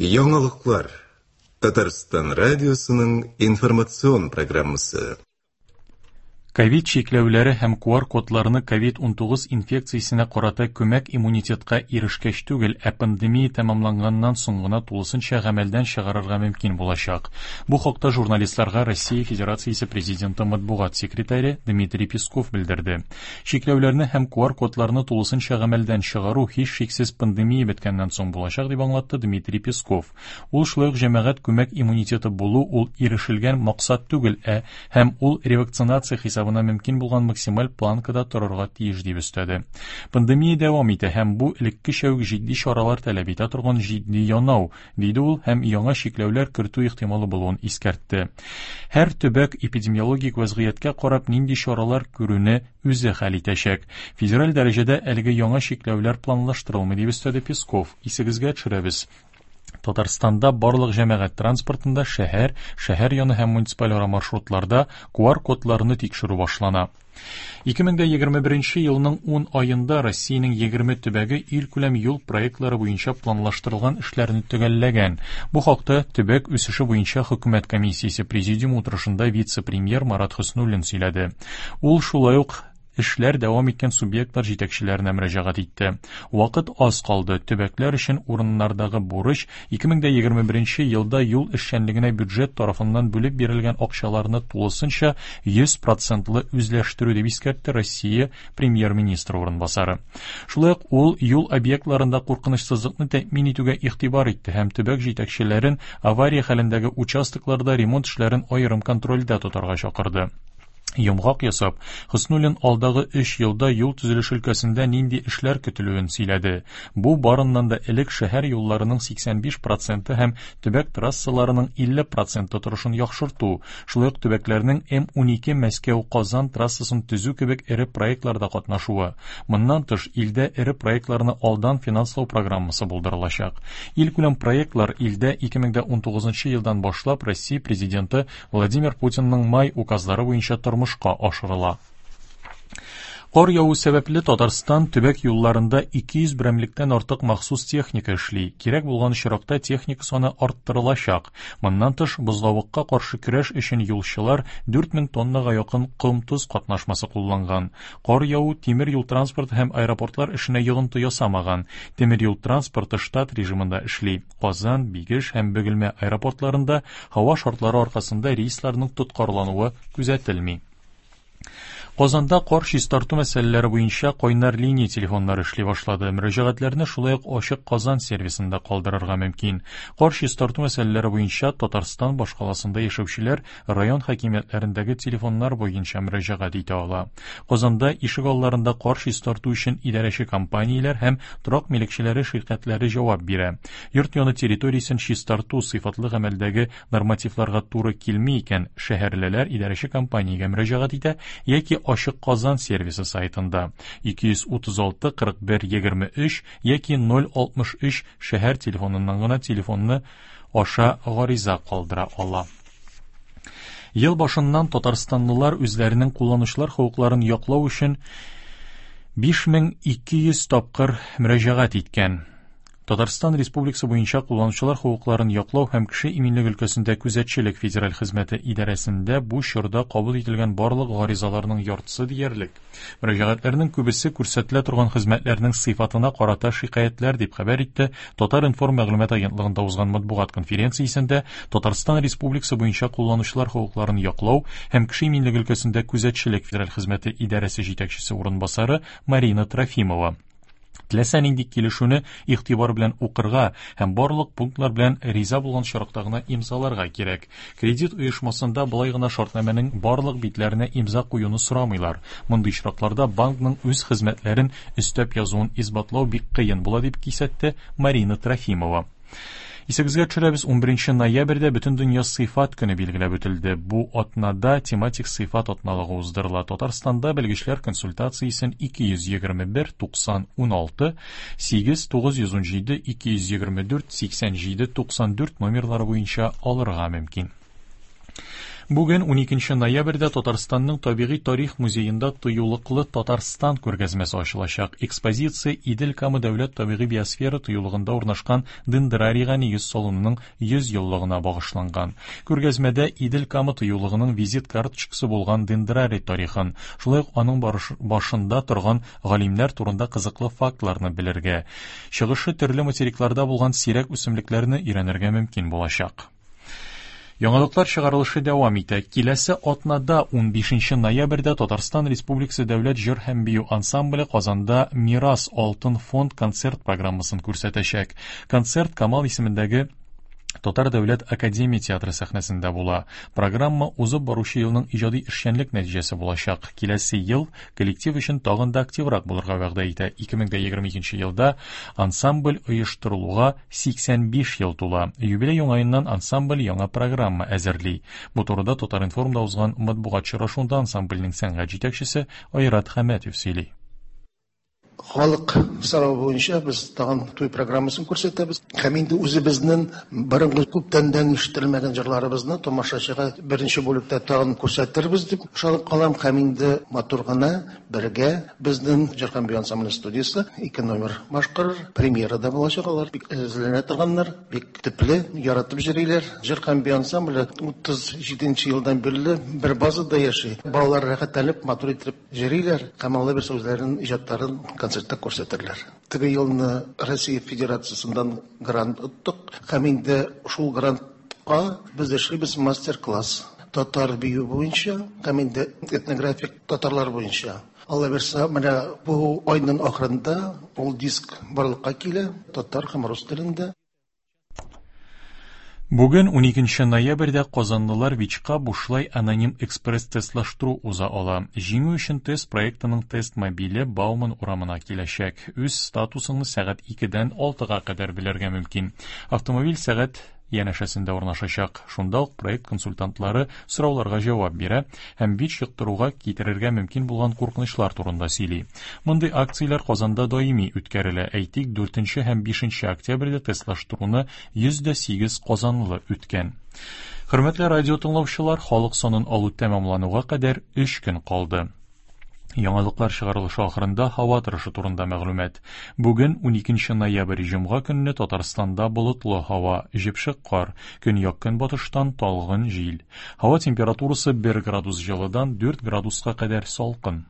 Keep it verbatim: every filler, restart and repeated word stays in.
Яңалыклар. Татарстан радиосының информацион программасы. Ковид чикләүләре һәм Q R кодларны ковид унтугыз инфекциясенә карата күмәк иммунитетка ирешкәч түгел, ә пандемия тәмамланганнан соң гына тулысынча гамәлдән чыгарырга мөмкин булачак. Бу хакта журналистларга Россия Федерациясе президенты матбугат секретаре Дмитрий Песков белдерде. Чикләүләрне һәм Q R кодларны тулысынча гамәлдән чыгару һичшиксез пандемия беткәннән соң булачак, дип аңлатты Дмитрий Песков. Ул шулай ук җәмәгать күмәк иммунитеты булу ул ирешелгән максат түгел, ә һәм ул ревакцинация хисабына мөмкин булган максималь планкада торырга тиеш дип өстәде. Пандемия дәвам итә һәм бу элеккечә үк җитди чаралар таләп итә торган җитди янау, диде ул һәм яңа чикләүләр кертү ихтималы булуын искәртте. Һәр төбәк эпидемиологик вазгыятькә карап нинди чаралар күрүне үзе хәл итәчәк. Федераль дәрәҗәдә әлеге яңа чикләүләр планлаштырылмый, дип өстәде Песков. Исегезгә төшерәбез. Татарстанда барлык җәмәгать транспортында шәһәр, шәһәр яны һәм муниципаль ара маршрутларда Q R кодларны тикшерү башлана. Ике мең дә егерме беренче елның ун аенда Россиянең егерме төбәге илкүләм юл проектлары буенча планлаштырылган эшләрне төгәлләгән. Бу хакта төбәк үсеше буенча хөкүмәт комиссиясе президиум утырышында вице-премьер Марат Хөснуллин сөйләде. Ул шулай ук эшләр дәвам иткән субъектлар җитәкчеләренә мөрәҗәгать итте. Вакыт аз калды. Төбәкләр өчен урыннардагы бурыч ике мең дә егерме беренче елда юл эшчәнлегенә бюджет тарафыннан бүлеп бирелгән акчаларны тулысынча йөз процентлы үзләштерү, дип искәртте Россия премьер-министры урынбасары. Шулай ук ул юл объектларында куркынычсызлыкны тәэмин итүгә игътибар итте һәм төбәк җитәкчеләрен авария хәлендәге участокларда ремонт эшләрен аерым контрольдә тотарга чакырды. Йомгак ясап, Хөснуллин алдагы өч елда юл төзелеше өлкәсендә нинди эшләр көтелүен сөйләде. Бу барыннан да элек шәһәр юлларының сиксән биш проценты һәм төбәк трассаларының илле проценты торышын яхшырту, шулай ук төбәкләрнең М унике Мәскәү-Казан трассасын төзү кебек эре проектларда катнашуы. Моннан тыш, илдә эре проектларны алдан финанслау программасы булдырылачак. Илкүләм проектлар илдә ике мең дә унтугызынчы елдан башлап Россия президенты Владимир Путинның май указлары буенча тормыш ашырыла. Кар яву сәбәпле Татарстан төбәк юлларында ике йөз берәмлектән артык махсус техника эшли. Кирәк булган очракта техника саны арттырылачак. Моннан тыш, бозлавыкка каршы көрәш өчен юлчылар дүрт мең тоннага якын ком-тоз катнашмасы кулланган. Кар яву тимер юл транспорты һәм аэропортлар эшенә йогынты ясамаган. Тимер юл транспорты штат режимында эшли. Казан, Бигеш һәм Бөгелмә аэропортларында һава шартлары аркасында рейсларның тоткарлануы күзәтелми. Казанда кар чистарту мәсьәләләре буенча кайнар линия телефоннары эшли башлады. Мөрәҗәгатьләрне шулай ук Ачык Казан сервисында калдырырга мөмкин. Кар чистарту мәсьәләләре буенча Татарстан башкаласында яшәүчеләр район хакимиятләрендәге телефоннар буенча мөрәҗәгать итә ала. Казанда ишек алларында кар чистарту өчен идарәче компанияләр һәм торак милекчеләре ширкәтләре җавап бирә. Йорт яны территориясен чистарту сыйфатлы гамәлдәге нормативларга туры килми икән, шәһәрлеләр идарәче компаниягә мөрәҗәгать итә яки Ачык Казан сервисы сайтында ике йөз утыз алты кырык бер егерме өч яки ноль алтмыш өч шәһәр телефоныннан гына телефонны аша гариза калдыра ала. Ел башыннан татарстанлылар үзләренең кулланучылар хокукларын яклау өчен биш мең ике йөз тапкыр мөрәҗәгать иткән. Татарстан Республикасы буенча кулланучылар хокукларын яклау һәм кеше иминлеге өлкәсендә күзәтчелек федераль хезмәте идарәсендә бу чорда кабул ителгән барлык гаризаларның яртысы диярлек. Мөрәҗәгатьләрнең күбесе күрсәтелә торган хезмәтләрнең сыйфатына карата шикаятьләр, дип хәбәр итте Татар-информ мәгълүмат агентлыгында узган матбугат конференциясендә Татарстан Республикасы буенча кулланучылар хокукларын яклау һәм кеше иминлеге өлкәсендә күзәтчелек федераль хезмәте идарәсе җитәкчесе урынбасары Марина Трофимова. Теләсә нинди килешүне игътибар белән укырга һәм барлык пунктлар белән риза булган очракта гына имзаларга кирәк. Кредит оешмасында болай гына шартнамәнең барлык битләренә имза куюны сорамыйлар. Мондый очракларда банкның үз хезмәтләрен өстәп язуын исбатлау бик кыен була, дип кисәтте Марина Трофимова. Исегезгә төшерәбез, унберенче ноябрьдә Бөтендөнья сыйфат көне билгеләп үтелде. Бу атнада тематик сыйфат атналыгы уздырыла. Татарстанда белгечләр консультациясен ике йөз егерме бер, туксан, уналты, сигез, тугыз йөз унҗиде, ике йөз егерме дүрт, сиксән җиде, туксан дүрт номерлары буенча алырга мөмкин. Бүген уникенче ноябрьдә Татарстанның табигый тарих музеенда Тыюлыклы Татарстан күргәзмәсе ачылачак. Экспозиция Идел-Кама дәүләт табигый биосфера тыюлыгында урнашкан дендрарийга нигез салынуның йөз еллыгына багышланган. Күргәзмәдә Идел-Кама тыюлыгының визит карточкасы булган дендрарий тарихын, шулай ук аның башында торган галимнәр турында кызыклы фактларны белергә, чыгышы төрле материкларда булган сирәк үсемлекләрне өйрәнергә мөмкин булачак. Яңалыклар чыгарылышы дәвам итә. Киләсе атнада унбишенче ноябрьдә Татарстан Республикасы Дәүләт җыр һәм бию ансамбле Казанда Мирас Алтын фонд концерт программасын күрсәтәчәк. Концерт Камал исемендәге Татар дәүләт академия театры сәхнәсендә була. Программа узып баручы елның иҗади эшчәнлек нәтиҗәсе булачак. Киләсе ел коллектив өчен тагын да активрак булырга вәгъдә итә. ике мең егерме икенче елда ансамбль оештырылуга сиксән биш ел тула. Юбилей уңаеннан ансамбль яңа программа әзерли. Бу турыда Татар-информда узган матбугат очрашуында ансамбльнең сәнгать җитәкчесе Айрат Хәмәтов сөйли. Халык сорауы буенча без тагын туй программасын күрсәтәбез. Һәм инде үзебезнең борынгы күптәннән ишетелмәгән җырларыбызны тамашачыга беренче бүлектә тагын күрсәтербез дип ышанып калам. Һәм инде матур гына бергә безнең җыр һәм бию ансамбле студиясе ике номер башкарыр. Премьерада булачак, алар бик әзерләнә торганнар, бик төпле, яратып йөриләр. Җыр һәм бию ансамбле утыз җиденче елдан бирле бер базада яши. Балалар рәхәтләнеп, матур итеп йөриләр һәм алар бер үзләренең иҗатларын концертта күрсәтерләр. Теге елны Россия Федерациясеннән грант оттык һәм инде шул грантка без эшлибез мастер-класс татар бию буенча һәм инде этнографик татарлар буенча. Алла бирсә, менә бу айның ахырында ул диск барлыкка килә татар һәм рус телендә. Бүген уникенче ноябрьдә казанлылар ВИЧка бушлай аноним экспресс-тестлаштыру уза ала. Җиңү өчен тест проектының тест мобиле Бауман урамына киләчәк. Үз статусыңны сәгать икедән алтыга кадәр белергә мөмкин. Автомобиль сәгать янәшәсендә урнашачак. Шунда ук проект консультантлары сорауларга җавап бирә һәм ВИЧ йоктыруга китерергә мөмкин булган куркынычлар турында сөйли. Мондый акцияләр Казанда даими үткәрелә. Әйтик, дүртенче һәм бишенче октябрьдә тестлаштыруны йөз дә сигез казанлы үткән. Хөрмәтле радио тыңлаучылар, халык санын алу тәмамлануга кадәр өч көн калды. Яңалыклар чыгарылышы ахырында һава торышы турында мәгълүмат. Бүген уникенче ноябрь җомга көнне Татарстанда болытлы һава, җепшек кар, көньяк-көнбатыштан талгын җил. Һава температурасы бер градус җылыдан дүрт градуска кадәр салкын.